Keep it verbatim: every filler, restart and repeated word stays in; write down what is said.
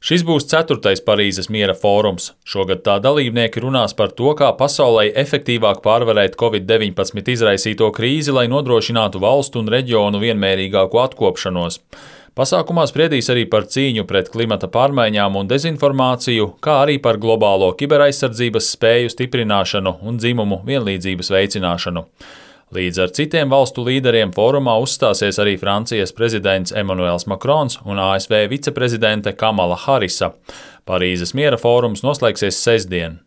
Šis būs ceturtais Parīzes miera fórums. Šogad tā dalībnieki runās par to, kā pasaulē efektīvāk pārvarēt covid deviņpadsmit izraisīto krīzi, lai nodrošinātu valstu un reģionu vienmērīgāku atkopšanos. Pasākumā spriedīs arī par cīņu pret klimata pārmaiņām un dezinformāciju, kā arī par globālo kiberaizsardzības spēju stiprināšanu un dzimumu vienlīdzības veicināšanu. Līdz ar citiem valstu līderiem fórumā uzstāsies arī Francijas prezidents Emmanuels Macrons un A S V viceprezidente Kamala Harisa. Parīzes miera fórums noslēgsies sestdien.